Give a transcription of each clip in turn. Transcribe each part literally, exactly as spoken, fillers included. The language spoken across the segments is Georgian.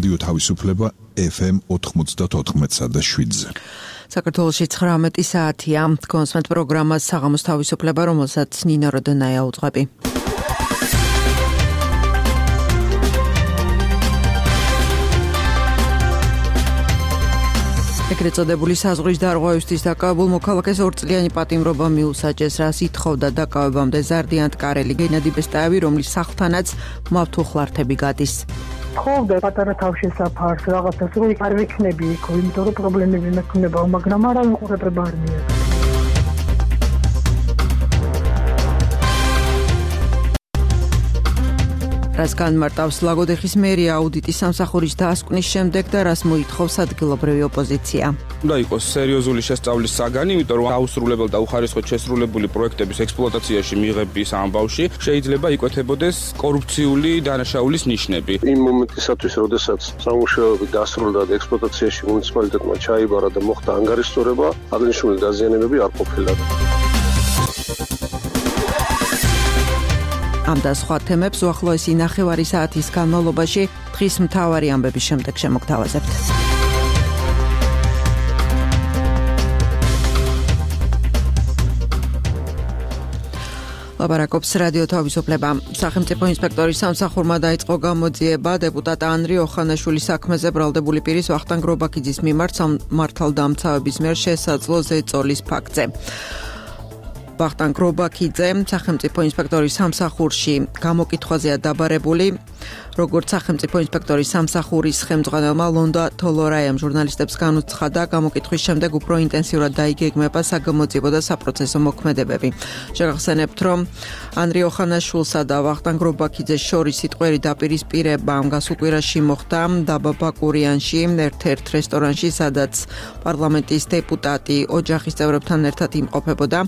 რადიო თავისუფლება ეფ ემ ოთხმოცდაოთხ და შვიდზე. საქართველოში ცხრამეტი საათია. კონსმეთ პროგრამას საღამოს თავისუფლება, რომელსაც ნინო როდონაია უძღვები. ეგრეთ წოდებული საზღვრის დარღვევისთვის დაკავებულ მოქალაქეს ორწლიანი პატიმრობა მიუსაჯეს, რაც ითხოვდა დაკავებამდე ზარდიან ტკარელი გენადი ბესტაევი, რომლის სახლთანაც მავთუხლართები გადის. თხოვდა პატარა თავშესაფარს, რაღაცას რომ არ ვიქნები იქ, იმიტომ რომ პრობლემები მექნება, მაგრამ არა უყურებება არ მიიღო. რას განმარტავს ლაგოდეხის მერია აუდიტის სამსახურის დასკვნის შემდეგ და რას მოითხოვს ადგილობრივი ოპოზიცია. უნდა იყოს სერიოზული შესწავლის საგანი, იმიტომ რომ აუსრულებელ და უხარისხოდ შესრულებული პროექტების ექსპლუატაციაში მიღების ამბავში შეიძლება იკვეთებოდეს კორუფციული დანაშაულის ნიშნები. იმ მომენტისათვის, როდესაც სამუშაოები დასრულდა და ექსპლუატაციაში მუნიციპალიტეტმა ჩაიბარა და მოხდა ანგარიშწორება, აღნიშნული დაზიანებები არ ყოფილა. ამ და სხვა თემებს უახლოესი ნახევარი საათის განმავლობაში დღის მთავარი ამბების შემდეგ შემოგთავაზებთ. ლაპარაკობს რადიო თავისუფლება. სახელმწიფო ინსპექტორის სამსახურმა დაიწყო გამოძიება დეპუტატ ანრი ოხანაშვილის საქმეზე ბრალდებული პირის ვახტანგ რობაქიძის მიმართ მართალდამცავების მიერ შესაძლო ზეწოლის ფაქტზე. ვახტანგ რობაქიძე სახელმწიფო ინსპექტორის სამსახურში გამოკითხვაზეა დაბარებული. როგორც სახელმწიფო ინსპექტორის სამსახურის ხელმძღვანელმა ლონდა თოლორაიამ ჟურნალისტებს განუცხადა, გამოკითხვის შემდეგ უფრო ინტენსიურად დაიგეგმება საგამოძიებო და საპროცესო მოქმედებები. შეგახსენებთ, რომ ანრი ოხანაშვილსა და ვახტანგ რობაქიძეს შორის სიტყვიერი დაპირისპირება გასულ კვირაში მოხდა დაბა ბაკურიანში, ერთ-ერთ რესტორანში, სადაც პარლამენტის დეპუტატი ოჯახის წევრებთან ერთად იმყოფებოდა.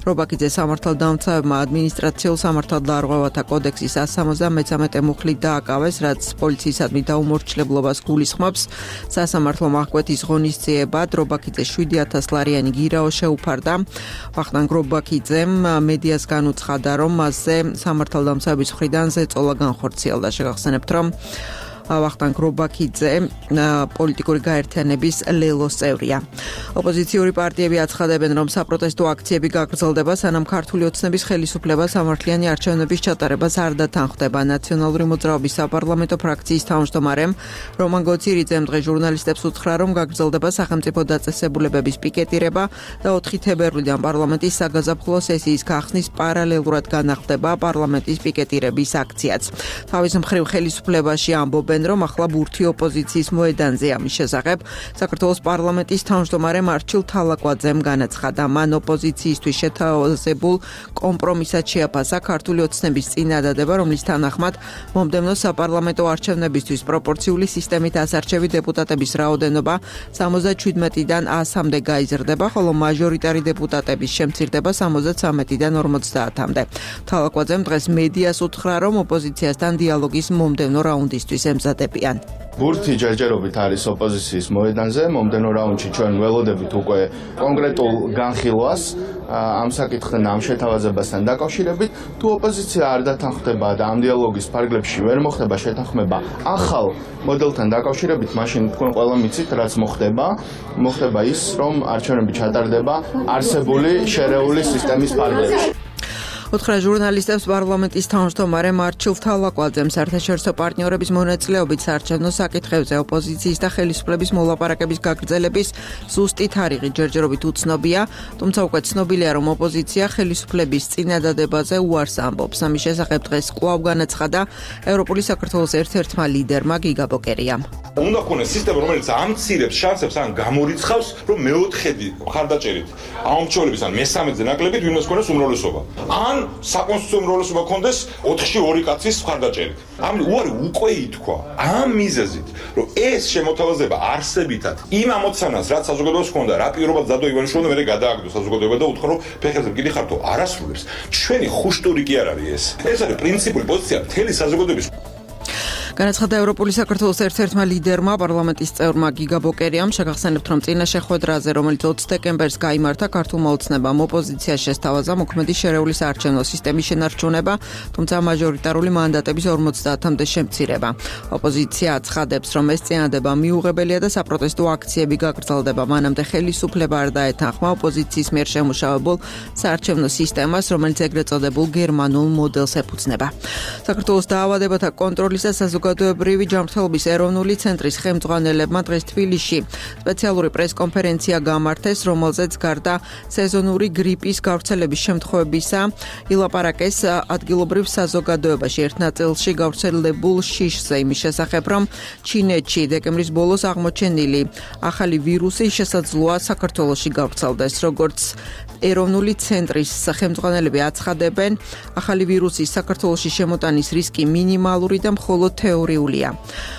რობაქიძე სამართალდამცავებმა ადმინისტრაციულ სამართალდარღვევათა კოდექსის one seventy-three მუხლით დააკავეს, რაც პოლიციისადმი დაუმორჩილებლობას გულისხმობს. სასამართლო აღკვეთის ღონისძიებად რობაქიძე seven thousand ლარიანი გირაო შეუფარდა. ვახტანგ რობაქიძემ მედიას განუცხადა, რომ მასზე სამართალდამცავების მხრიდან ზეწოლა განხორციელდა. შეგახსენებთ, რომ ვახტანგ რობაქიძე პოლიტიკური გაერთიანების ლელოს წევრია. ოპოზიციური პარტიები აცხადებენ, რომ საპროტესტო აქციები გაგრძელდება, სანამ ქართული ოცნების ხელისუფლება სამართლიანი არჩევნების ჩატარებას არ დათანხმდება. ნაციონალური მოძრაობის საპარლამენტო ფრაქციის თავმჯდომარემ რომან გოცირიძემ დღეს ჟურნალისტებს უთხრა, რომ გაგრძელდება სახელმწიფო დაწესებულებების პიკეტირება და ოთხი თებერვლიდან პარლამენტის საგაზაფხულო სესიის გახსნის პარალელურად განახლდება პარლამენტის პიკეტირების აქციაც. თავის მხრივ ხელისუფლებაში ამბობენ, რომ ახლა ბურთი ოპოზიციის მოედანზე ამის შესახებ საქართველოს პარლამენტის თავმჯდომარე მარჩილ თალაკვაძემ განაცხადა. მან ოპოზიციისთვის შეთავაზებულ კომპრომისად შეაფასა ქართული ოცნების წინადადება, რომლის თანახმად მომდევნო საპარლამენტო არჩევნებისთვის პროპორციული სისტემით ასარჩევი დეპუტატების რაოდენობა seventy-seven-დან one hundred-მდე გაიზრდება, ხოლო მაჟორიტარი დეპუტატების შემცირდება seventy-three-დან forty-მდე. თალაკვაძემ დღეს მედიას უთხრა, რომ ოპოზიციასთან დიალოგის მომდევნო რაუნდისთვის ემზადებიან. ბურთი ჯერჯერობით არის ოპოზიციის მოედანზე, მომდენო რაუნდში ჩვენ ველოდებით უკვე კონკრეტულ განხილვას ამ საკითხთან, ამ შეთავაზებასთან დაკავშირებით. თუ ოპოზიცია არ დათანხმდება და ამ დიალოგის ფარგლებში ვერ მოხდება შეთანხმება ახალ მოდელთან დაკავშირებით, მაშინ თქვენ ყველა მიცით, რაც მოხდება. მოხდება ის, რომ არჩევნები ჩატარდება არსებული შერეული სისტემის ფარგლებში. უთხრა ჟურნალისტებს პარლამენტის თავმჯდომარე მარჩილ თალაკვაძემ საერთაშორისო პარტნიორების მონაწილეობით საარჩევნო საკითხებზე ოპოზიციის და ხელისუფლების მოლაპარაკების გაგრძელების ზუსტი თარიღი ჯერჯერობით უცნობია, თუმცა უკვე ცნობილია, რომ ოპოზიცია ხელისუფლების წინადადებაზე უარს ამბობს. ამის შესახებ დღეს კვლავ განაცხადა ევროპული საქართველოს ერთ-ერთმა ლიდერმა გიგა ბოკერიამ. უნდა ქონდეს სისტემა, რომელიც ამცირებს შანსებს ან გამორიცხავს, რომ მეოთხედი მხარდაჭერით აუმრჩევლების ან მესამედზე ნაკლებით ვინმეს ქონდეს უმრავლესობა. ან საკონსტიტუციო უმრავლესობა ქონდეს ოთხში ორი კაცის მხარდაჭერით. ამ უარი უკვე ითქვა ამ მიზეზით, რომ ეს შემოთავაზება არსებითად იმ ამოცანას, რაც საზოგადოებას ჰქონდა, რა პირობად ზადო ივანიშვილმა მერე გადააგდო საზოგადოება და უთხრა, რომ ფეხებზე მკიდი ხართო არასრულებს. ჩვენი ხუშტური კი არ არის ეს. ეს არის პრინციპული პოზიცია მთელი საზოგადოების. განაცხადა ევროპული საქართველოს ერთ-ერთმა ლიდერმა, პარლამენტის წევრმა გიგა ბოკერიამ, შეგახსენებთ, რომ წინა შეხვედრაზე, რომელიც ოცი დეკემბერს გაიმართა, ქართულმა ოცნებამ ოპოზიცია შესთავაზა მოქმედი შერეული საარჩევნო სისტემის შენარჩუნება, თუმცა მაჟორიტარული მანდატების ორმოცდაათამდე შემცირება. ოპოზიცია აცხადებს, რომ ეს წინადადება მიუღებელია და საპროტესტო აქციები გაგრძელდება. მანამდე ხელისუფლება არ დაეთანხმა ოპოზიციის მიერ შემუშავებულ საარჩევნო სისტემას, რომელიც ეგრეთ წოდებულ გერმანულ მოდელს ეფუძნება. საქართველოს დაავადებათა კონტროლის და საზოგადოებრივი ჯანმრთელობის ეროვნული ცენტრის ხელმძღვანელებმა დღეს თბილისში სპეციალური პრესკონფერენცია გამართეს, რომელზეც გარდა სეზონური გრიპის გავრცელების შემთხვევებისა ილაპარაკეს ადგილობრივ საზოგადოებაში ერთ ნაწილში გავრცელებულ შიშზე, იმის შესახებ, რომ ჩინეთში დეკემბრის ბოლოს აღმოჩენილი ახალი ვირუსი შესაძლოა საქართველოში გავრცელდეს. როგორც ეროვნული ცენტრის ხელმძღვანელები აცხადებენ, ახალი ვირუსის საქართველოში შემოტანის რისკი მინიმალური და მხოლოდ თეორიულია.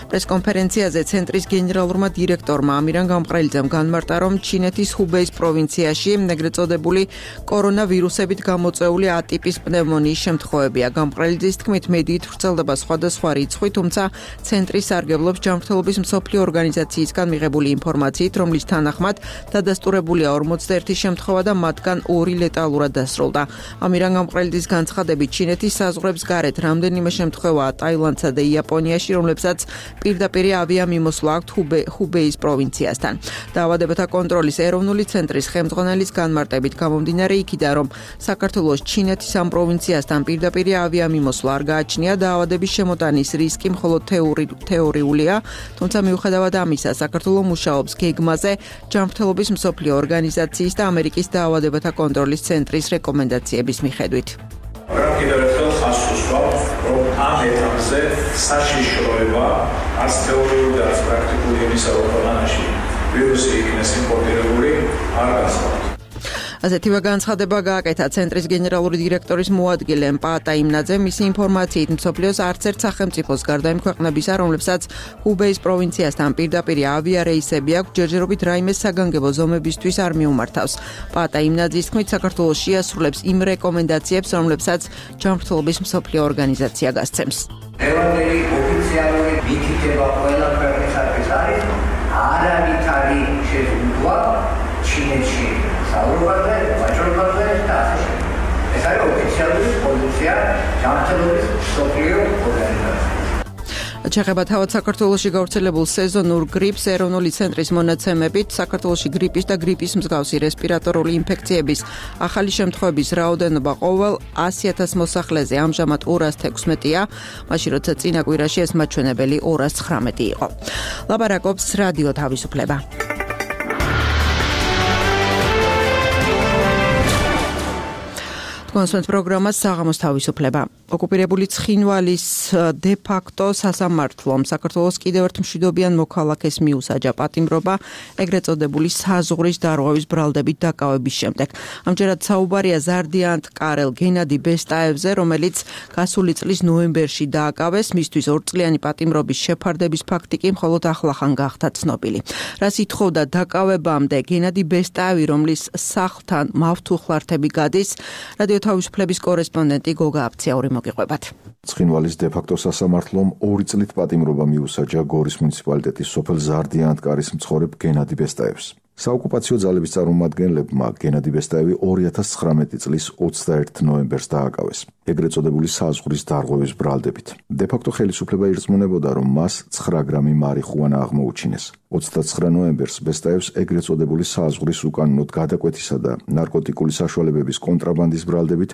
პრესკონფერენციაზე ცენტრის გენერალურმა დირექტორმა ამირან გამყრელიძემ განმარტა, რომ ჩინეთის ჰუბეის პროვინციაში ეგრეთ წოდებული კორონავირუსებით გამოწვეული ატიპის პნევმონიის შემთხვევებია. გამყრელიძის თქმით, მედიით ვრცელდება სხვადასხვა რიცხვი, თუმცა ცენტრი სარგებლობს ჯანმრთელობის მსოფლიო ორგანიზაციისგან მიღებული ინფორმაციით, რომლის თანახმად დადასტურებულია ორმოცდაერთი შემთხვევა და მათგან ორი ლეტალურად დასრულდა. ამირან გამყრელიძის განცხადებით, ჩინეთის საზღვრებს გარეთ რამდენიმე შემთხვევაა ტაილანდსა და იაპონიაში, რომლებსაც პირდაპირ ავიამიმოსვლა აქვთ ჰუბეის პროვინციასთან. დაავადებათა კონტროლის ეროვნული ცენტრის ხელმძღვანელის განმარტებით გამომდინარე იქიდან, რომ საქართველოს ჩინეთის ამ პროვინციასთან პირდაპირ ავიამიმოსვლა არ გააჩნია, დაავადების შემოტანის რისკი მხოლოდ თეორიულია, თუმცა მიუხედავად ამისა, საქართველო მუშაობს გეგმაზე ჯანმრთელობის მსოფლიო ორგანიზაციის და ამერიკის დაავადებათა კონტროლის ცენტრის რეკომენდაციების მიხედვით. კიდევ ერთხელ ხაზს უსვამთ, რომ ამ ეტაპზე საშიშროება არც თეორიული და არც პრაქტიკული იმისა, რომ ქვეყანაში ვირუსი იქნეს იმპორტირებული, არ გასწავლთ. ასეთივე განცხადება გააკეთა ცენტრის გენერალური დირექტორის მოადგილე პაატა იმნაძემ. მისი ინფორმაციით, მსოფლიოს არც ერთ სახელმწიფოს გარდა იმ ქვეყნებისა, რომლებსაც ჰუბეის პროვინციასთან პირდაპირ ავიარეისები აქვს, ჯერჯერობით რაიმე საგანგებო ზომებისთვის არ მიუმართავს. პაატა იმნაძის თქმით, საქართველოს შეასრულებს იმ რეკომენდაციებს, რომლებსაც ჯანმრთელობის მსოფლიო ორგანიზაცია გასცემს. ევანდელი ოფიციალური მითითება ყველა ქვეყნისათვის არის არავითარი შეზღუდვა ჩინეთში საუბრობაზე, ვაჭრობაზე და ასე შემდეგ. ეს არის ოფიციალური პოზიცია ჯანმრთელობის მსოფლიო ორგანიზაციაში. ჩეხება თავად საქართველოში გავრცელებულ სეზონურ გრიპს ეროვნული ცენტრის მონაცემებით, საქართველოში გრიპის და გრიპის მსგავსი რესპირატორული ინფექციების ახალი შემთხვევების რაოდენობა ყოველ ასი ათას მოსახლეზე ამჟამად ორას თექვსმეტია, მაშინ როცა წინა კვირაში ეს მაჩვენებელი ორას ცხრამეტი იყო. ლაპარაკობს რადიო თავისუფლება. კონსვენს პროგრამას საღამოს თავისუფლება. ოკუპირებული ცხინვალის დე-ფაქტო სასამართლომ საქართველოს კიდევ ერთ მშვიდობიან მოქალაქეს მიუსაჯა პატიმრობა ეგრეთ წოდებული საზღვრის დარღვევის ბრალდებით დაკავების შემდეგ. ამჯერად საუბარია ზარდიანტ კარელ გენადი ბესტაევზე, რომელიც გასული წლის ნოემბერში დააკავეს, მისთვის ორწლიანი პატიმრობის შეფარდების ფაქტი კი მხოლოდ ახლახან გახდა ცნობილი. რას ითხოვდა დაკავებამდე გენადი ბესტაევი, რომლის სახლთან მავთუხლართები გადის, რადიო თავისუფლების კორესპონდენტი გოგა აფციაური მოგიყვებათ. ცხინვალის დე-ფაქტო სასამართლომ ორი წლით პატიმრობა მიუსაჯა გორის მუნიციპალიტეტის სოფელ ზარდიანტკარის მცხოვრებ გენადი ბესტაევს. საოკუპაციო ძალების წარმომადგენლებმა გენადი ბესტაევი ორი ათას ცხრამეტი წლის ოცდაერთი ნოემბერს დააკავეს, ეგრეთ წოდებული საზღვრის დარღვევის ბრალდებით. დე-ფაქტო ხელისუფლება ირწმუნებოდა, რომ მას ცხრა გრამი მარიხუანა აღმოუჩინეს. ოცდაცხრა ნოემბერს ბესტაევს ეგრეთ წოდებული საზღვრის უკანონოდ გადაკვეთისა და ნარკოტიკული საშუალებების კონტრაბანდის ბრალდებით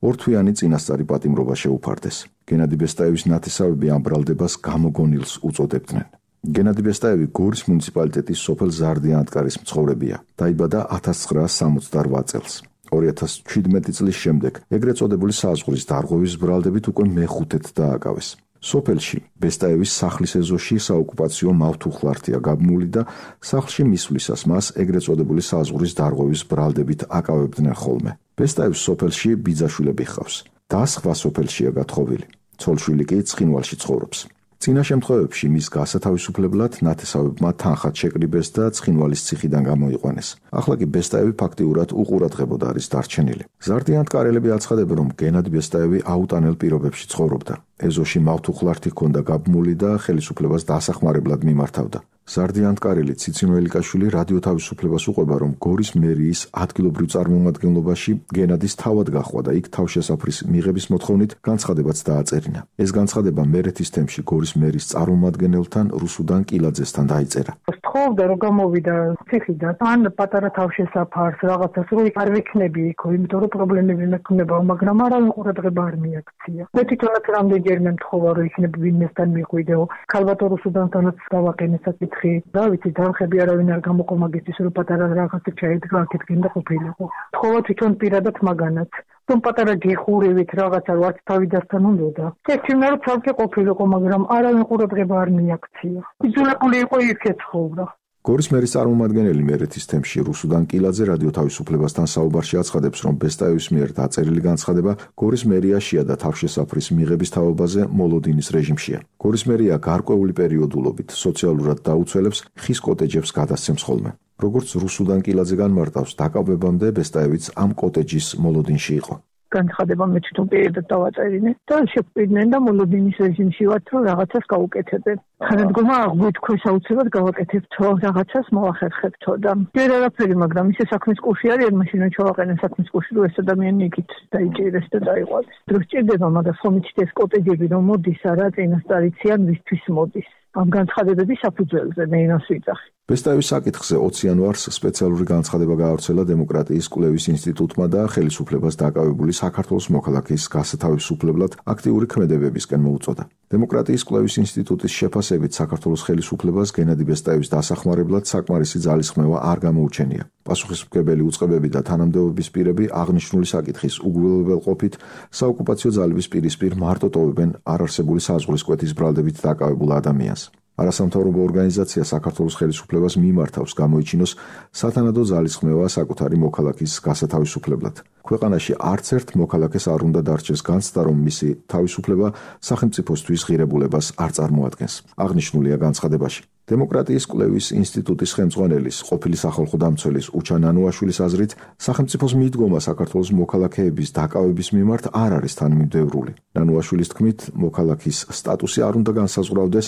ორთვიანი წინასწარი პატიმრობა შეუფარდეს. გენადი ბესტაევის ნათესავები ამ ბრალდებას გამოგონილს უწოდებდნენ. გენადი ბესტაევი გორის მუნიციპალიტეტის სოფელ ზარდიანტკარის მცხოვრებია. დაიბადა ათას ცხრაას სამოცდარვა წელს. ორი ათას ჩვიდმეტი წლის შემდეგ ეგრეთ წოდებული საზღვრის დარღვევის ბრალდებით უკვე მეხუთედ დააკავეს. სოფელში ბესტაევის სახლის ეზოში საოკუპაციო მავთუხლართია გაბმული და სახლში მისვლისას მას ეგრეთ წოდებული საზღვრის დარღვევის ბრალდებით აკავებდნენ ხოლმე. ბესტაევს სოფელში ბიძაშვილები ჰყავს და სხვა სოფელშია გათხოვილი. ცოლშვილი კი ცხინვალში ცხოვრობს. წინა შემთხვევებში მის გასათავისუფლებლად ნათესავებმა თანხად შეკრიბეს და ცხინვალის ციხიდან გამოიყვანეს. ახლა კი ბესტაევი ფაქტიურად უყურადღებოდ არის დარჩენილი. ზარდიან-ტკარელები აცხადებენ, რომ გენადი ბესტაევი აუტანელ პირობებში ცხოვრობდა. ეზოში მავთუხლართი ჰქონდა გაბმული და ხელისუფლებას დასახმარებლად მიმართავდა. ზარდიან-ტკარელი ციცინო ელიკაშვილი რადიო თავისუფლებას უყვება, რომ გორის მერიის ადგილობრივ წარმომადგენლობაში გენადის თავად გაჰყვა და იქ თავშესაფრის მიღების მოთხოვნით განცხადებაც დააწერინა. ეს განცხადება მერეთის თემში გორის მერის წარმომადგენელთან რუსუდან კილაძესთან დაიწერა. თხოვდა რომ გამოვიდა ციხიდან, ან პატარა თავშესაფარს რაღაცას რო არ ვიქნები იქ, იმიტომ რომ პრობლემები მექნება, მაგრამ არავინ ყურადღება არ მიაქცია. მე თვითონაც რამდენჯერმე მთხოვა რომ იქნებ ვინმესთან მიყვიდეო, ქალბატონ რუსუდანთანაც გავაყენე საკითხი. და ვიცი დამხები არავინ არ გამოყო მაგისთვის რომ პატარა რაღაცა ჩაედგა აქეთკენ და ყოფილიყო. თხოვა თვითონ პირადად მაგანაც. რომ პატარა გიხურივით რაღაცა ვარც თავიდასთან უნდოდა. ექიმნა რომ ცალკე ყოფილიყო, მაგრამ არავინ ყურადღება არ მიაქცია. იძულებული იყო იქ ეცხოვრა. გორის მერის წარმომადგენელი მერეთის თემში რუსუდან კილაძე რადიო თავისუფლებასთან საუბარში აცხადებს, რომ ბესტაევის მიერ დაწერილი განცხადება გორის მერიაშია და თავშესაფრის მიღების თაობაზე მოლოდინის რეჟიმშია. გორის მერია გარკვეული პერიოდულობით სოციალურად დაუცველებს ხის კოტეჯებს გადასცემს ხოლმე. როგორც რუსუდან კილაძე განმარტავს, დაკავებამდე ბესტაევიც ამ კოტეჯის მოლოდინში იყო. განცხადება მე თვითონ პირადად დავაწერინე და შეგვიდნენ და მოლოდინის რეჟიმში ვართ რომ რაღაცას გავუკეთებენ. ხანადგომა აღვიქქვეს აუცილებლად გავაკეთებთ რაღაცას მოახერხებთო და ვერ არაფერი, მაგრამ ისე საქმის კურსი არის, მაშინ ჩავაყენე საქმის კურსი რომ ეს ადამიანი იქით დაიჭირეს და დაიყვანეს. დრო სჭირდება, მაგრამ ხომ იცით ეს კოტეჯები რომ მოდის არა წინასწარ იციან ვისთვის მოდის. ამ განცხადებების საფუძველზე მე იმას ვიძახი. ბესტაევის საკითხზე ოცი იანვარს სპეციალური განცხადება გაავრცელა დემოკრატიის კვლევის ინსტიტუტმა და ხელისუფლებას დაკავებული საქართველოს მოქალაქის გასათავისუფლებლად აქტიური ქმედებებისკენ მოუწოდა. დემოკრატიის კვლევის ინსტიტუტის შეფასებით საქართველოს ხელისუფლებას გენადი ბესტაევის დასახმარებლად საკმარისი ძალისხმევა არ გამოუჩენია. პასუხისმგებელი უწყებები და თანამდებობის პირები აღნიშნული საკითხის უგულებელყოფით საოკუპაციო ძალების პირისპირ მარტო ტოვებენ არარსებული საზღვრისკვეთის ბრალდებით დაკავებულ ადამიანს. არასამთავრობო ორგანიზაცია საქართველოს ხელისუფლებას მიმართავს გამოიჩინოს სათანადო ძალისხმევა საკუთარი მოქალაქის გასათავისუფლებლად. ქვეყანაში არც ერთ მოქალაქეს არ უნდა დარჩეს განცდა, რომ მისი თავისუფლება სახელმწიფოსთვის ღირებულებას არ წარმოადგენს. აღნიშნულია განცხადებაში. დემოკრატიის კვლევის ინსტიტუტის ხელმძღვანელის, ყოფილი სახალხო დამცველის უჩან ანუაშვილის აზრით, სახელმწიფოს მიდგომა საქართველოს მოქალაქეების დაკავების მიმართ არ არის თანმიმდევრული. ანუაშვილის თქმით, მოქალაქის სტატუსი არ უნდა განსაზღვრავდეს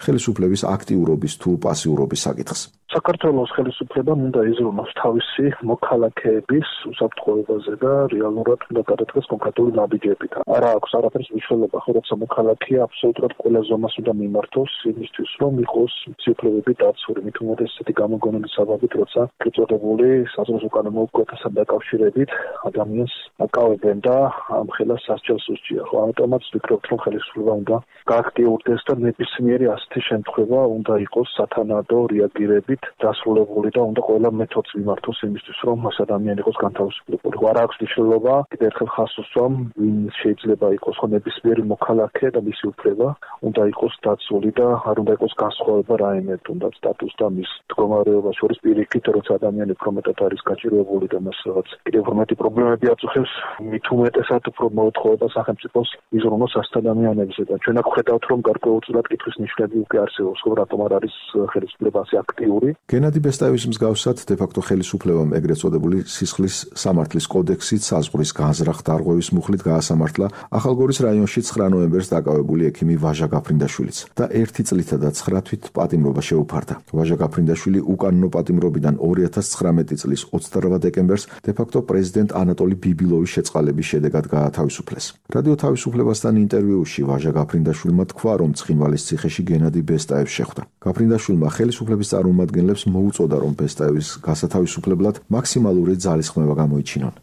ხელისუფლების აქტიურობის თუ პასიურობის საკითხს. საქართველოს ხელისუფლებამ უნდა იზრუნოს თავისი მოქალაქეების უსაფრთხოებაზე და რეალურად უნდა გადადგეს კონკრეტული ნაბიჯებით. არა აქვს არაფერს მნიშვნელობა, ხო, როცა მოქალაქე აბსოლუტურად ყველა ზომას უნდა მიმართოს იმისთვის, რომ იყოს ციფრები დაცული, მით უმეტეს ესეთი გამოგონების საბაბით, როცა წოდებული საზღვაო უკანონმდებლობასთან დაკავშირებით ადამიანს აკავებენ და ამ ხელას სასჯელს უსჯია. ხო, ამიტომაც ვფიქრობთ, რომ ხელისუფლება უნდა გააქტიურდეს და ნებისმიერი ასეთი შემთხვევა უნდა იყოს სათანადო რეაგირებით დასრულებული და უნდა ყველა მეთოდს მიმართოს იმისთვის, რომ ეს ადამიანი იყოს განთავისუფლებული. არ აქვს მნიშვნელობა, კიდევ ერთხელ ხაზს უსვამ, ვინ შეიძლება იყოს ხო ნებისმიერი მოქალაქე და მისი უფლება უნდა იყოს დაცული და არ უნდა იყოს განსხვავება რაიმე თუნდაც სტატუს და მის მდგომარეობა შორის პირიქით, როცა ადამიანი უფრო მეტად არის გაჭირვებული და მას რაღაც კიდევ უფრო მეტი პრობლემები აწუხებს, მით უმეტესად უფრო მოეთხოვება სახელმწიფოს იზრუნოს ასეთ ადამიანებზე და ჩვენ აქ ხედავთ, რომ გარკვეულწილად კითხვის ნიშნები უკვე არსებობს, ხო, რატომ არ არის ხელისუფლება ასე აქტიური. გენადი ბესტაევის მსგავსად დე-ფაქტო ხელისუფლებამ ეგრეთ წოდებული სისხლის სამართლის კოდექსით საზღვრის განზრახ დარღვევის მუხლით გაასამართლა ახალგორის რაიონში ცხრა ნოემბერს დაკავებული ექიმი ვაჟა გაფრინდაშვილიც და ერთი წლითა და ცხრა თვით პატიმრობა შეუფარდა. ვაჟა გაფრინდაშვილი უკანონო პატიმრობიდან ორი ათას ცხრამეტი წლის ოცდარვა დეკემბერს დე-ფაქტო პრეზიდენტ ანატოლი ბიბილოვის შეწყალების შედეგად გაათავისუფლეს. რადიო თავისუფლებასთან ინტერვიუში ვაჟა გაფრინდაშვილმა თქვა, რომ ცხინვალის ციხეში გენადი ბესტაევს შეხვდა. გაფრინდაშვილმა ხელისუფლების წარმომადგენლებს მოუწოდა, რომ ბესტაევის გასათავისუფლებლად მაქსიმალური ძალისხმევა გამოიჩინონ.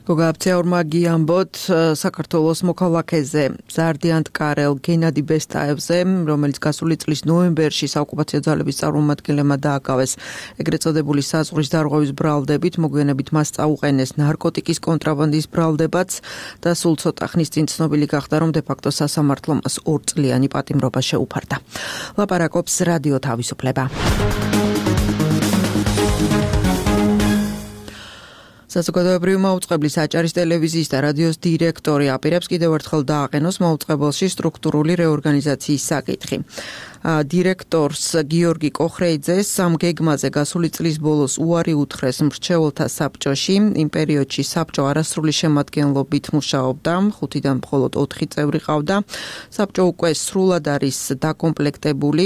გოგა აფცეორმა გიამბოთ საქართველოს მოქალაქეზე ზარდიან-ტკარელ გენადი ბესტაევზე, რომელიც გასული წლის ნოემბერში საოკუპაციო ძალების წარმომადგენლებმა დააკავეს ეგრეთ წოდებული საზღვრის დარღვევის ბრალდებით, მოგვიანებით მას წაუყენეს ნარკოტიკის კონტრაბანდის ბრალდებაც და სულ ცოტა ხნის წინ ცნობილი გახდა, რომ დე-ფაქტო სასამართლომ მას ორწლიანი პატიმრობა შეუფარდა. ლაპარაკობს რადიო თავისუფლება. საზოგადოებრივი მაუწყებლის აჭარის ტელევიზიის და რადიოს დირექტორი აპირებს კიდევ ერთხელ დააყენოს მაუწყებელში სტრუქტურული რეორგანიზაციის საკითხი. დირექტორს გიორგი კოხრეიძეს სამ გეგმაზე გასული წლის ბოლოს უარი უთხრეს მრჩეველთა საბჭოში. იმ პერიოდში საბჭო არასრული შემადგენლობით მუშაობდა, ხუთიდან მხოლოდ ოთხი წევრი ყავდა. საბჭო უკვე სრულად არის დაკომპლექტებული.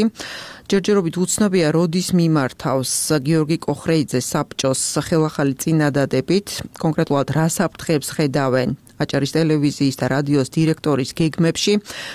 ჯერჯერობით უცნობია, როდის მიმართავს გიორგი კოხრეიძე საბჭოს ხელახალი წინადადებით, კონკრეტულად რა საფრთხეებს ხედავენ აჭარის ტელევიზიის და რადიოს დირექტორის გეგმებში.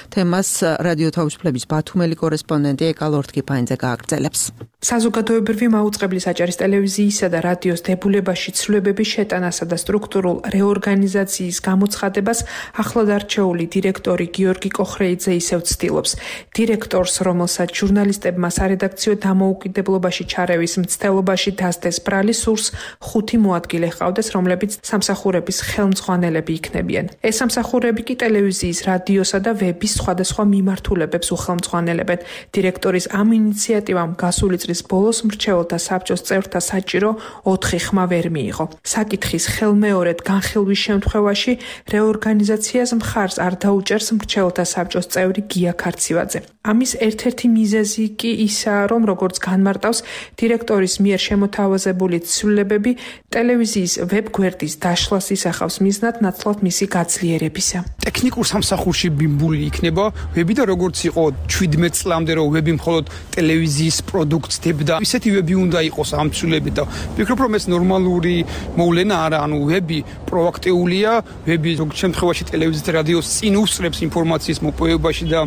თემას რადიო თავისუფლების ბათუმელი კორესპონდენტი ეკალორთკიფაინძე გააგრძელებს. საზოგადოებრივი მაუწყებლის აჭარის ტელევიზიისა და რადიოს დებულებაში ცვლილებების შეტანასა და სტრუქტურულ რეორგანიზაციის გამოცხადებას ახლად არჩეული დირექტორი გიორგი კოხრეიძე ისევ ცდილობს. დირექტორს, რომელსაც ჟურნალისტებმა სარედაქციო დამოუკიდებლობაში ჩარევის მცდელობაში დასდეს ბრალი, სურს ხუთი მოადგილე ჰყავდეს, რომლებიც სამსახურების ხელმძღვანელები იქნებიან. ეს სამსახურები კი ტელევიზიის, რადიოსა და ვების სხვადასხვა მიმართულებებს უხელმძღვანელებენ. დირექტორის ამ ინიციატივამ გასული წლის ბოლოს მრჩეველთა საბჭოს წევრთა საჭირო ოთხი ხმა ვერ მიიღო. საკითხის ხელმეორედ განხილვის შემთხვევაში რეორგანიზაციას მხარს არ დაუჭერს მრჩეველთა საბჭოს წევრი გია ქარცივაძე. ამის ერთ-ერთი მიზეზი კი ისაა, რომ როგორც განმარტავს დირექტორის მიერ შემოთავაზებული ცვლილებები ტელევიზიის ვებგვერდის დაშლას ისახავს მიზნად ნაცვლად მისი გაძლიერებისა. ტექნიკურ სამსახურში ბიმბული იქნება ვები და როგორც იყო ჩვიდმეტ წლამდე, რომ ვები მხოლოდ ტელევიზიის პროდუქტს დებდა, ისეთი ვები უნდა იყოს ამ ცვლილებით და ვფიქრობ, რომ ეს ნორმალური მოვლენა არა, ანუ ვები პროაქტიულია, ვები ზოგ შემთხვევაში ტელევიზიის და რადიოს წინ უსწრებს ინფორმაციის მოპოვებაში და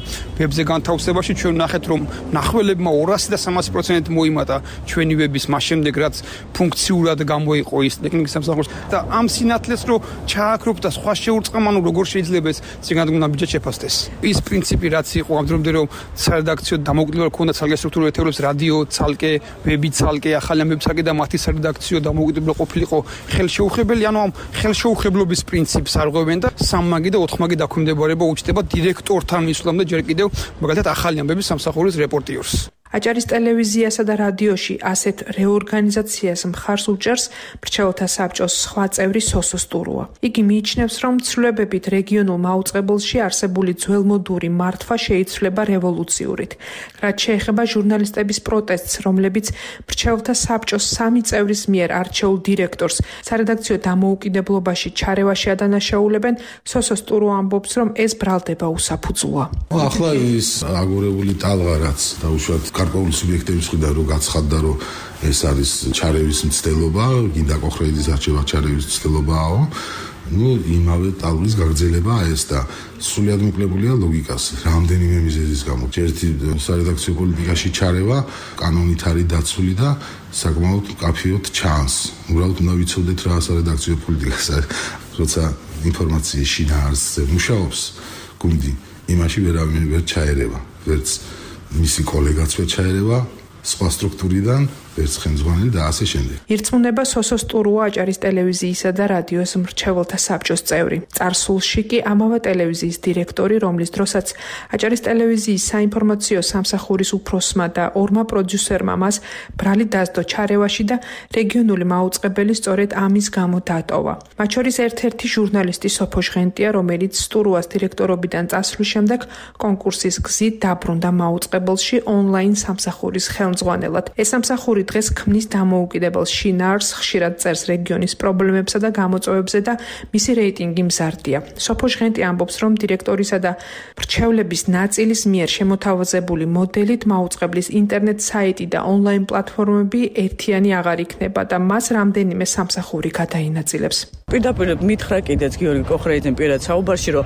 ვებზე განთავსებაში. ჩვენ ნახეთ, რომ მნახველებმა ორასი და სამასი პროცენტი მოიმატა ჩვენი ვების მას შემდეგ, რაც ფუნქციურად გამოიყო ის ტექნიკის სამსახურს და ამ სინათლეს რო ჩააქრობ და სხვა შეურწყამ, ანუ როგორ შეიძლება ეს წინადგონა ბიჭად შეფასდეს. ის პრინციპი რაც იყო ამ დრომდე, რომ სარედაქციო დამოუკიდებლობა ქონდა ცალკე სტრუქტურული ერთეულებს, რადიო ცალკე, ვები ცალკე, ახალი ამბები ცალკე და მათი სარედაქციო დამოუკიდებლობა ყოფილიყო ხელშეუხებელი, ანუ ამ ხელშეუხებლობის პრინციპს არღვევენ და სამმაგი და ოთხმაგი დაქვემდებარება უჩნდება დირექტორთან მისვლამდე ჯერ კიდევ მაგალითად ახალი ამბების სამსახურის რეპორტიორს. აჭარის ტელევიზიასა და რადიოში ასეთ რეორგანიზაციას მხარს უჭერს მრჩეველთა საბჭოს სხვა წევრი სოსო სტურუა. იგი მიიჩნევს, რომ ცვლილებებით რეგიონულ მაუწყებელში არსებული ძველმოდური მართვა შეიცვლება რევოლუციურით. რაც შეეხება ჟურნალისტების პროტესტს, რომლებიც მრჩეველთა საბჭოს სამი წევრის მიერ არჩეულ დირექტორს სარედაქციო დამოუკიდებლობაში ჩარევაში ადანაშაულებენ, სოსო სტურუა ამბობს, რომ ეს ბრალდება უსაფუძვლოა. ახლა ის აგორებული ტალღა რაც დაუშვათ გარკვეული სუბიექტების მხრიდან რომ გაცხადდა, რომ ეს არის ჩარევის მცდელობა, გინდა კოხრეიძის არჩევა ჩარევის მცდელობაო, ну იმავე ტალღის გაგრძელებაა ეს და სრულად მოკლებულია ლოგიკას, რამდენიმე მიზეზის გამო. ერთი სარედაქციო პოლიტიკაში ჩარევა კანონით არის დაცული და საკმაოდ კაფეოდ ჩანს. უბრალოდ უნდა ვიცოდეთ რა სარედაქციო პოლიტიკა, როცა ინფორმაციის შინაარსზე მუშაობს გუნდი, იმაში ვერავინ ვერ ჩაერევა, ვერც მისი კოლეგაც ვერ ჩაერევა სხვა სტრუქტურიდან, ვერც ხელმძღვანელი და ასე შემდეგ. ირწმუნება სოსო სტურუა აჭარის ტელევიზიისა და რადიოს მრჩეველთა საბჭოს წევრი. წარსულში კი ამავე ტელევიზიის დირექტორი, რომლის დროსაც აჭარის ტელევიზიის საინფორმაციო სამსახურის უფროსმა და ორმა პროდიუსერმა მას ბრალი დასდო ჩარევაში და რეგიონული მაუწყებელი სწორედ ამის გამო დატოვა. მათ შორის ერთ-ერთი ჟურნალისტი სოფო ჟღენტია, რომელიც სტურუას დირექტორობიდან წასვლის შემდეგ კონკურსის გზით დაბრუნდა მაუწყებელში ონლაინ სამსახურის ხელმძღვანელად. ეს სამსახური დღეს ქმნის დამოუკიდებელ შინაარსს, ხშირად წერს რეგიონის პრობლემებსა და გამოწვევებზე და მისი რეიტინგი მზარდია. სოფო ჟღენტი ამბობს, რომ დირექტორისა და მრჩევლების ნაწილის მიერ შემოთავაზებული მოდელით მაუწყებლის ინტერნეტ საიტი და ონლაინ პლატფორმები ერთიანი აღარ იქნება და მას რამდენიმე სამსახური გადაინაწილებს. პირდაპირ მითხრა კიდეც გიორგი კოხრეიძემ პირად საუბარში, რომ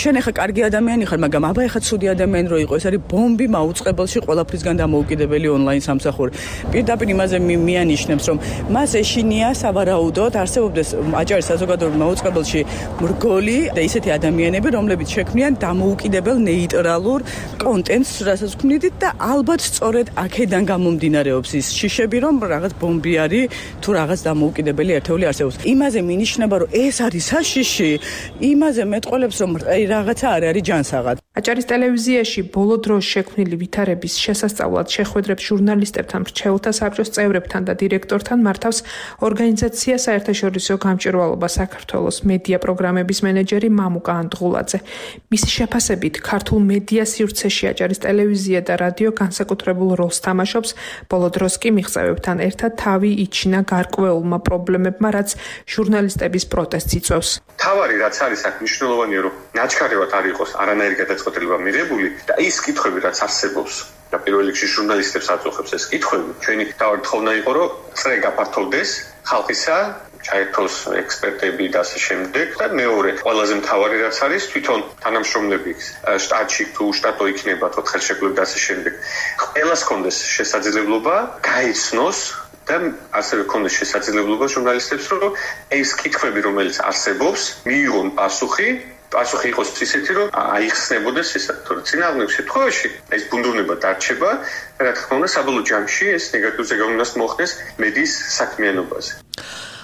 შენ ახლა კარგი ადამიანი ხარ, მაგრამ აბა ახლა ცუდი ადამიანი რო იყო, ეს არის ბომბი მაუწყებელში ყველაფრისგან დამოუკიდებელი ონლაინ სამსახური. პირდაპირ იმაზე მიანიშნებს, რომ მას ეშინია სავარაუდოდ არსებობდეს აჭარის საზოგადოებრივ მაუწყებელში მრგოლი და ისეთი ადამიანები, რომლებიც შექმნიან დამოუკიდებელ ნეიტრალურ კონტენტს, რასაც ვქმნით და ალბათ სწორედ აქედან გამომდინარეობს ის შიშები, რომ რაღაც ბომბი არის თუ რაღაც დამოუკიდებელი ერთეული არსებობს. იმაზე მინიშნება, რომ ეს არის საშიში, იმაზე მეტყოლებს, რომ რაღაცა არ არის ჯანსაღად. აჭარის ტელევიზიაში ბოლო დროს შექმნილი ვითარების შესასწავლად შეხვედრებს ჟურნალისტებთან, მრჩეველთა საბჭოს წევრებთან და დირექტორთან მართავს ორგანიზაცია საერთაშორისო გამჭვირვალობა საქართველოს მედია პროგრამების მენეჯერი მამუკა ანდღულაძე. მისი შეფასებით, ქართულ მედია სივრცეში აჭარის ტელევიზია და რადიო განსაკუთრებულ როლს თამაშობს, ბოლო დროს კი მიღწევებთან ერთად თავი იჩინა გარკვეულმა პრობლემებმა, რაც ჟურნალისტების პროტესტს იწვევს. თავარი რაც არის აქ მნიშვნელოვანია, რომ ნაჩქარევად არ იყოს არანაირი გადაწყვეტილება მიღებული და ის კითხვები რაც არსებობს და პირველ რიგში ჟურნალისტებს აწუხებს ეს კითხვები, ჩვენი თავი თხოვნა იყო, რომ წრე გაფართოვდეს ხალხისა, ჩაერთოს ექსპერტები და ასე შემდეგ და მეორე ყველაზე მთავარი რაც არის თვითონ თანამშრომლები შტატში თუ შტატო იქნება თუ ხელშეკრულება და ასე შემდეგ ყველას კონდეს შესაძლებლობა გაიცნოს და ასევე კონდეს შესაძლებლობა ჟურნალისტებს რომ ეს კითხვები რომელიც არსებობს მიიღონ პასუხი პასუხი იყოს ისეთი რომ აიხსნებოდეს ისე თორე წინააღმდეგ შემთხვევაში ეს ბუნდოვნება დარჩება და რა თქმა უნდა საბოლოო ჯამში ეს ნეგატიურ ზეგავლენას მოხდეს მედიის საქმიანობაზე.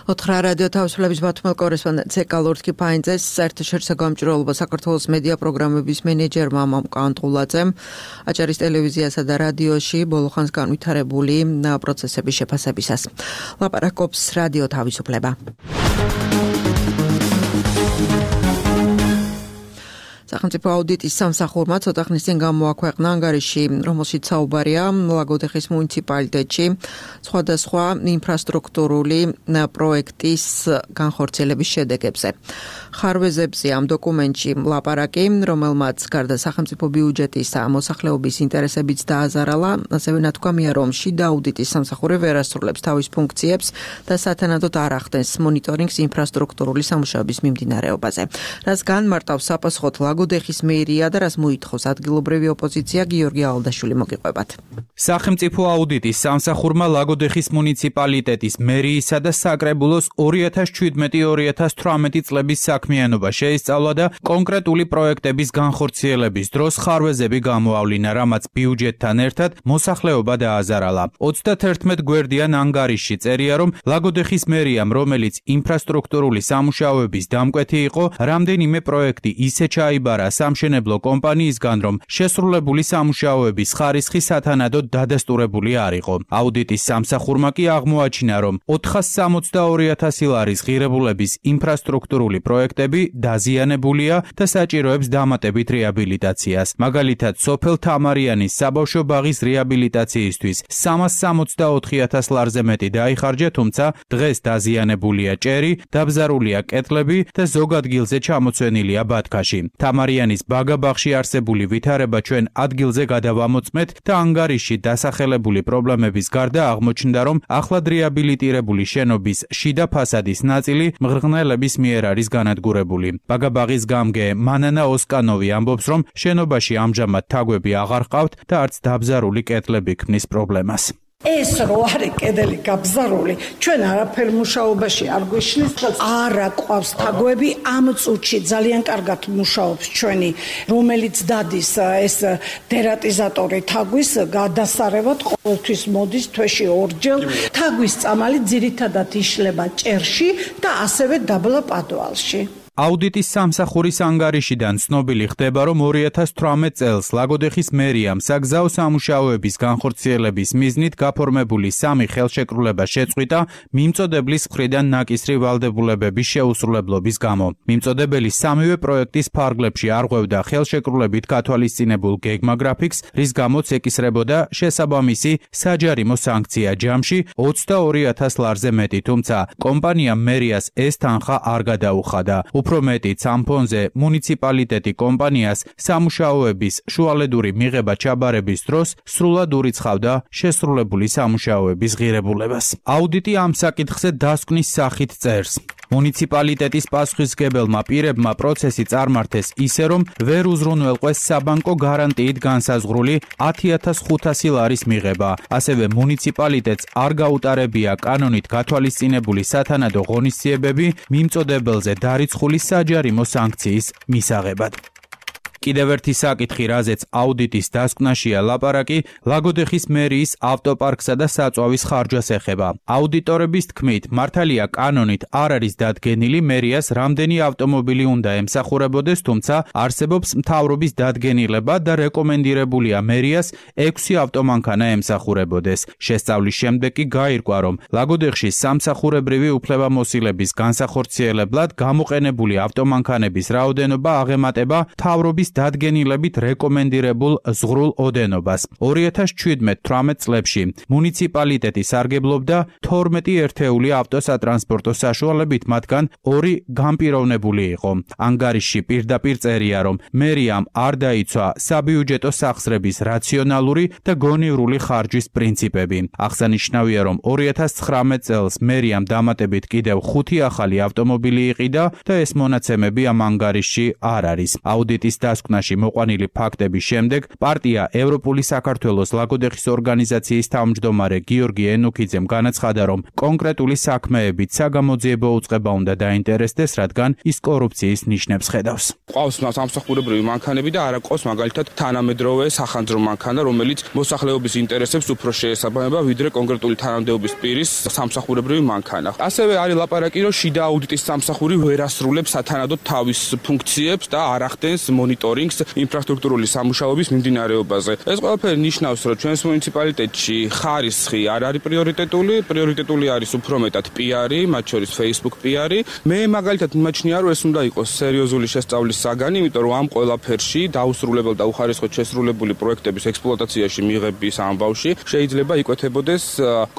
ოთხრა რადიო თავისუფლების ბათუმელ კორესპონდენტ ზეკა ლორთქიფაინძეს საერთაშორისო გამჭვირვალობა საქართველოს მედია პროგრამების მენეჯერმა მამუკა ანდღულაძემ აჭარის ტელევიზიასა და რადიოში ბოლო ხანს განვითარებული პროცესების შეფასებისას ლაპარაკობს რადიო თავისუფლება. სახელმწიფო აუდიტის სამსახურმა ცოტა ხნის წინ გამოაქვეყნა ანგარიში, რომელშიც საუბარია ლაგოდეხის მუნიციპალიტეტში სხვადასხვა ინფრასტრუქტურული პროექტის განხორციელების შედეგებზე. ხარვეზებზე ამ დოკუმენტში ლაპარაკი, რომელმაც გარდა სახელმწიფო ბიუჯეტისა მოსახლეობის ინტერესებიც დააზარალა, ასევე ნათქვამია, რომ შიდა აუდიტის სამსახური ვერ ასრულებს თავის ფუნქციებს და სათანადოდ არ ახდენს მონიტორინგს ინფრასტრუქტურული სამუშაოების მიმდინარეობაზე. რაც განმარტავს საპასუხოდ ლაგოდეხის მერია და რაც მოითხოვს ადგილობრივი ოპოზიცია გიორგი ალდაშვილი მოგიყვებათ. სახელმწიფო აუდიტის სამსახურმა ლაგოდეხის მუნიციპალიტეტის მერიისა და საკრებულოს ორი ათას ჩვიდმეტი ორი ათას თვრამეტი წლების საქმიანობა შეისწავლა და კონკრეტული პროექტების განხორციელების დროს ხარვეზები გამოავლინა, რამაც ბიუჯეტთან ერთად მოსახლეობა დააზარალა. ოცდაათერთმეტ გვერდიან ანგარიშში წერია, რომ ლაგოდეხის მერიამ, რომელიც ინფრასტრუქტურული სამუშაოების დამკვეთი იყო, რამდენიმე პროექტი ისე ჩაიბარა სამშენებლო კომპანიისგან, რომ შესრულებული სამუშაოების ხარისხი სათანადოდ დადასტურებული არ იყო. აუდიტის სამსახურმა კი აღმოაჩინა, რომ ოთხას სამოცდაორი ათასი ლარის ღირებულების ინფრასტრუქტურული პროექტები დაზიანებულია და საჭიროებს დამატებით რეაბილიტაციას. მაგალითად, სოფელ თამარიანის საბავშვო ბაღის რეაბილიტაციისთვის სამას სამოცდაოთხი ათას ლარზე მეტი დაიხარჯა, თუმცა დღეს დაზიანებულია ჭერი, დაბზარულია კეთლები და ზოგ ადგილზე ჩამოცვენილია ბათქაში. თამარიანის ბაგაბაღში არსებული ვითარება ჩვენ ადგილზე გადავამოწმეთ და ანგარიში დასახელებული პრობლემების გარდა აღმოჩნდა, რომ ახლად რეაბილიტირებული შენობის შიდა ფასადის ნაწილი მღრღნელების მიერ არის განადგურებული. ბაგაბაღის გამგე მანანა ოსკანოვი ამბობს, რომ შენობაში ამჟამად თაგვები აღარ ყავთ და არც დაბზარული კეთლები ქმნის პრობლემას. ეს რო არის კედელი გაბზარული, ჩვენ არაფერ მუშაობაში არ გვიშლის, არა ყავს თაგვები, ამ წუთში ძალიან კარგად მუშაობს ჩვენი, რომელიც დადის ეს დერატიზატორი თაგვის გადასარევად ყოველთვის მოდის თვეში ორჯერ. თაგვის წამალი ძირითადად იშლება ჭერში და ასევე დაბლა პადვალში. აუდიტის სამსახურის ანგარიშიდან ცნობილი ხდება, რომ ორი ათას თვრამეტ წელს ლაგოდეხის მერიამ საგზაო სამუშაოების განხორციელების მიზნით გაფორმებული სამი ხელშეკრულება შეწყვიტა მიმწოდებლის მხრიდან ნაკისრი ვალდებულებების შეუსრულებლობის გამო. მიმწოდებელი სამივე პროექტის ფარგლებში არღვევდა ხელშეკრულებით გათვალისწინებულ გეგმა გრაფიკს, რის გამოც ეკისრებოდა შესაბამისი საჯარიმო სანქცია ჯამში ოცდაორი ათას ლარზე მეტი, თუმცა კომპანიამ მერიას ეს თანხა არ გადაუხადა. უფრო მეტიც ამ ფონზე მუნიციპალიტეტი კომპანიას სამუშაოების შუალედური მიღება ჩაბარების დროს სრულად ურიცხავდა შესრულებული სამუშაოების ღირებულებას. აუდიტი ამ საკითხზე დასკვნის სახით წერს. მუნიციპალიტეტის პასუხისმგებელმა პირებმა პროცესი წარმართეს ისე, რომ ვერ უზრუნველყვეს საბანკო გარანტიით განსაზღვრული ათი ათას ხუთასი ლარის მიღება. ასევე მუნიციპალიტეტს არ გაუტარებია კანონით გათვალისწინებული სათანადო ღონისძიებები მიმწოდებელზე დარიცხული საჯარიმო სანქციის მისაღებად. კიდევ ერთი საკითხი, რაზეც აუდიტის დასკვნაშია ლაპარაკი, ლაგოდეხის მერიის ავტოპარკსა და საწვავის ხარჯას ეხება. აუდიტორების თქმით, მართალია კანონით არ არის დადგენილი მერიას რამდენი ავტომობილი უნდა ემსახურებოდეს, თუმცა არსებობს მთავრობის დადგენილება და რეკომენდირებულია მერიას ექვსი ავტომანქანა ემსახურებოდეს. შესწავლის შემდეგ კი გაირკვა, რომ ლაგოდეხში სამსახურებრივი უფლებამოსილების განსახორციელებლად გამოყენებული ავტომანქანების რაოდენობა აღემატება მთავრობის დადგენილებით რეკომენდირებულ ზღვრულ ოდენობას. ორი ათას ჩვიდმეტ თვრამეტ წლებში მუნიციპალიტეტი სარგებლობდა თორმეტი ერთეული ავტოსატრანსპორტო საშუალებით, მათგან ორი განპირობებული იყო. ანგარიშში პირდაპირ წერია, რომ მერიამ არ დაიცვა საბიუჯეტო სახსრების რაციონალური და გონივრული ხარჯის პრინციპები. აღსანიშნავია, რომ ორი ათას ცხრამეტ წელს მერიამ დამატებით კიდევ ხუთი ახალი ავტომობილი იყიდა და ეს მონაცემები ამ ანგარიშში არ არის. აუდიტის დასკვნაში მოყვანილი ფაქტების შემდეგ პარტია ევროპული საქართველოს ლაგოდეხის ორგანიზაციის თავმჯდომარე გიორგი ენუქიძემ განაცხადა, რომ კონკრეტული საქმეებით საგამოძიებო უწყება უნდა დაინტერესდეს, რადგან ის კორუფციის ნიშნებს ხედავს. ყავს სამსახურებრივი მანქანები და არა ყავს მაგალითად თანამედროვე სახანძრო მანქანა, რომელიც მოსახლეობის ინტერესებს უფრო შეესაბამება, ვიდრე კონკრეტული თანამდებობის პირის სამსახურებრივი მანქანა. ასევე არის ლაპარაკი, რომ შიდა აუდიტის სამსახური ვერ ასრულებს სათანადოდ თავის ფუნქციებს და არ ახდენს მონიტორინგს ინფრასტრუქტურული სამუშაოების მიმდინარეობაზე. ეს ყველაფერი ნიშნავს, რომ ჩვენს მუნიციპალიტეტში ხარისხი არ არის პრიორიტეტული, პრიორიტეტული არის უფრო მეტად პიარი, მათ შორის Facebook პიარი. მე მაგალითად მიმაჩნია, რომ ეს უნდა იყოს სერიოზული შესწავლის საგანი, იმიტომ რომ ამ ყველაფერში დაუსრულებელ და უხარისხოდ შესრულებული პროექტების ექსპლუატაციაში მიღების ამბავში შეიძლება იკვეთებოდეს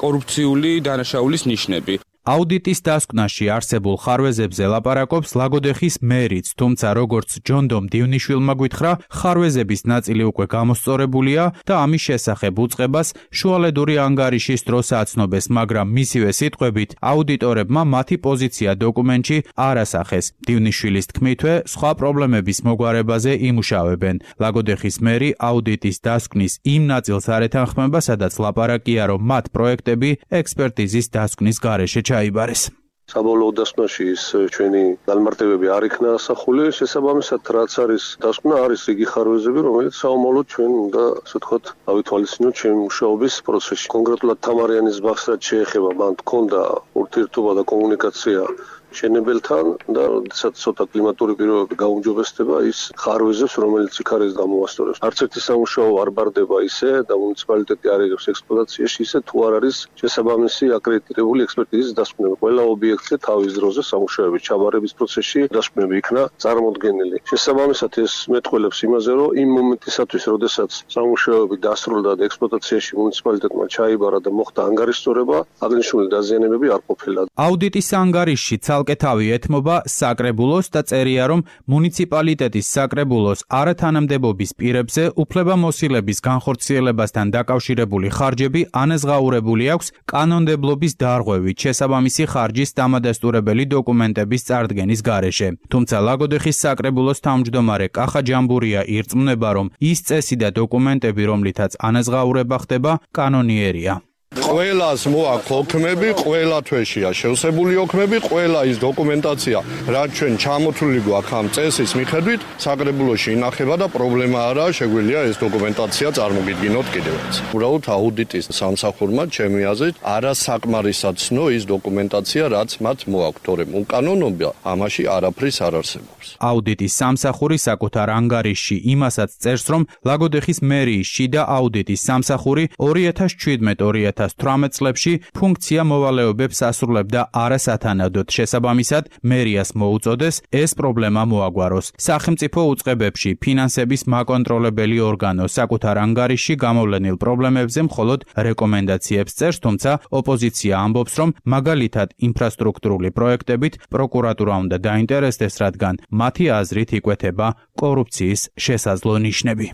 კორუფციული დანაშაულის ნიშნები. აუდიტის დასკვნაში არსებულ ხარვეზებზე ლაპარაკობს ლაგოდეხის მერიც, თუმცა როგორც ჯონდომ დივნიშვილმა გვითხრა, ხარვეზების ნაწილი უკვე გამოსწორებულია და ამის შესახებ უწყებას შუალედური ანგარიშის დროს აცნობეს, მაგრამ მისივე სიტყვებით აუდიტორებმა მათი პოზიცია დოკუმენტში არ ასახეს. დივნიშვილის თქმითვე, სხვა პრობლემების მოგვარებაზე იმუშავებენ. ლაგოდეხის მერი აუდიტის დასკვნის იმ ნაწილს არ ეთანხმება, სადაც ლაპარაკია, რომ მათ პროექტები ექსპერტიზის დასკვნის გარეშე ჩაიბარეს. საბოლოო დასკვნაში ის ჩვენი განმარტებები არ იქნა ასახული, შესაბამისად რაც არის დასკვნა, არის იგი ხარვეზები, რომელიც საომალოდ ჩვენ უნდა ასე ვთქვათ, ავითვალისწინოთ ჩვენი მუშაობის პროცესში. კონკრეტულად თამარიანის ბაღს რაც შეეხება, მან ჰქონდა ურთიერთობა და კომუნიკაცია შენებელთან და როდესაც ცოტა კლიმატური პირობები გაუმჯობესდება, ის ხარვეზებს, რომელიც იქ არის გამოვასწორებს. არც ერთი სამუშაო არ ბარდება ისე და მუნიციპალიტეტი არ იღებს ექსპლუატაციაში ისე, თუ არ არის შესაბამისი აკრედიტებული ექსპერტიზის დასკვნები. ყველა ობიექტზე თავის დროზე სამუშაოების ჩაბარების პროცესში დასკვნები იქნა წარმოდგენილი. შესაბამისად ეს მეტყველებს იმაზე, რომ იმ მომენტისათვის, როდესაც სამუშაოები დასრულდა და ექსპლუატაციაში მუნიციპალიტეტმა ჩაიბარა და მოხდა ანგარიშწორება, აღნიშნული დაზიანებები არ ყოფილა. აუდიტის ანგარიშში ცალკე თავი ეთმობა საკრებულოს და წერია, რომ მუნიციპალიტეტის საკრებულოს არათანამდებობის პირებზე უფლებამოსილების განხორციელებასთან დაკავშირებული ხარჯები ანაზღაურებული აქვს კანონმდებლობის დარღვევით შესაბამისი ხარჯის დამადასტურებელი დოკუმენტების წარდგენის გარეშე. თუმცა ლაგოდეხის საკრებულოს თავმჯდომარე კახა ჯამბურია ირწმუნება, რომ ის წესი და დოკუმენტები, რომლითაც ანაზღაურება ხდება, კანონიერია. ყველას მოაქვს ოქმები, ყველა თვეშია შევსებული ოქმები, ყველა ის დოკუმენტაცია, რაც ჩვენ ჩამოთვლილი გვაქვს ამ წესის მიხედვით, საკრებულოში ინახება და პრობლემა არაა, შეგვიძლია ეს დოკუმენტაცია წარმოგიდგინოთ კიდევაც. უბრალოდ აუდიტის სამსახურმა ჩემი აზრით არასაკმარისად ცნო ის დოკუმენტაცია, რაც მათ მოაქვს, თორემ უკანონობა ამაში არაფრის არ არსებობს. აუდიტის სამსახური საკუთარ ანგარიშში იმასაც წერს, რომ ლაგოდეხის მერიის შიდა აუდიტის სამსახური ორი ათას ჩვიდმეტ ორი ათას თვრამეტ წლებში ფუნქცია მოვალეობებს ასრულებდა არასათანადოდ. შესაბამისად, მერიას მოუწოდეს ეს პრობლემა მოაგვაროს. სახელმწიფო უწყებებში ფინანსების მაკონტროლებელი ორგანო საკუთარ ანგარიშში გამოვლენილ პრობლემებზე მხოლოდ რეკომენდაციებს წერს, თუმცა ოპოზიცია ამბობს, რომ მაგალითად ინფრასტრუქტურული პროექტებით პროკურატურა უნდა დაინტერესდეს, რადგან მათი აზრით იკვეთება კორუფციის შესაძლო ნიშნები.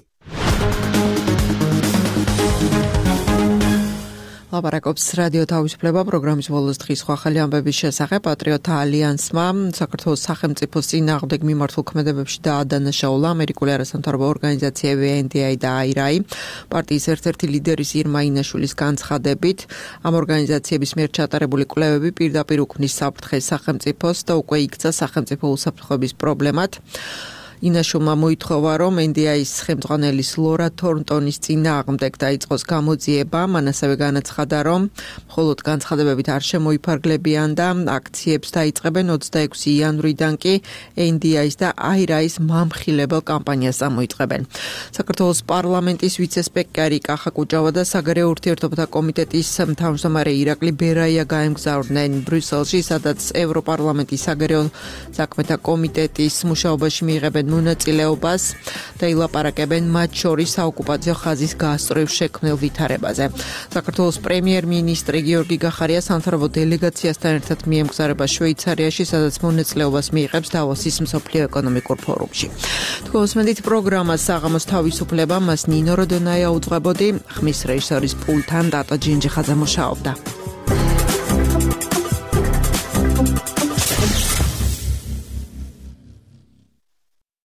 ლაპარაკობს რადიო თავისუფლება პროგრამის ბოლოს დღის სხვა ხელი ამბების შესახებ. პატრიოტთა ალიანსმა საქართველოს სახელმწიფოს წინააღმდეგ მიმართულ ქმედებებში დაადანაშაულა ამერიკული არასამთავრობო ორგანიზაციები ენ დი აი და აი არ აი. პარტიის ერთ-ერთი ლიდერის ირმა ინაშვილის განცხადებით, ამ ორგანიზაციების მიერ ჩატარებული კვლევები პირდაპირ უქმნის საფრთხეს სახელმწიფოს და უკვე იქცა სახელმწიფო უსაფრთხოების პრობლემად. ინაშულმა მოითხოვა, რომ ენ დი აის ხელმძღვანელის ლორა თორნტონის წინააღმდეგ დაიწყოს გამოძიება. მან ასევე განაცხადა, რომ მხოლოდ განცხადებებით არ შემოიფარგლებიან და აქციებს დაიწყებენ ოცდაექვსი იანვრიდან კი ენ დი აის და აირაის მამხილებელ კამპანიას წამოიწყებენ. საქართველოს პარლამენტის ვიცე-სპიკერი კახა კუჭავა და საგარეო ურთიერთობათა კომიტეტის თავმჯდომარე ირაკლი ბერაია გაემგზავრნენ ბრიუსელში, სადაც ევროპარლამენტის საგარეო საქმეთა კომიტეტის მუშაობაში მიიღებენ მონაწილეობას და ილაპარაკებენ მათ შორის საოკუპაციო ხაზის გასწვრივ შექმნილ ვითარებაზე. საქართველოს პრემიერ-მინისტრი გიორგი გახარია სამთავრობო დელეგაციასთან ერთად მიემგზავრება შვეიცარიაში, სადაც მონაწილეობას მიიღებს დავოსის მსოფლიო ეკონომიკურ ფორუმში. თქვენს პროგრამას საღამოს თავისუფლება მას ნინო როდონაია უძღვებოდი, ხმის რეჟისორის პულტთან დატო ჯინჯიხაძე მუშაობდა.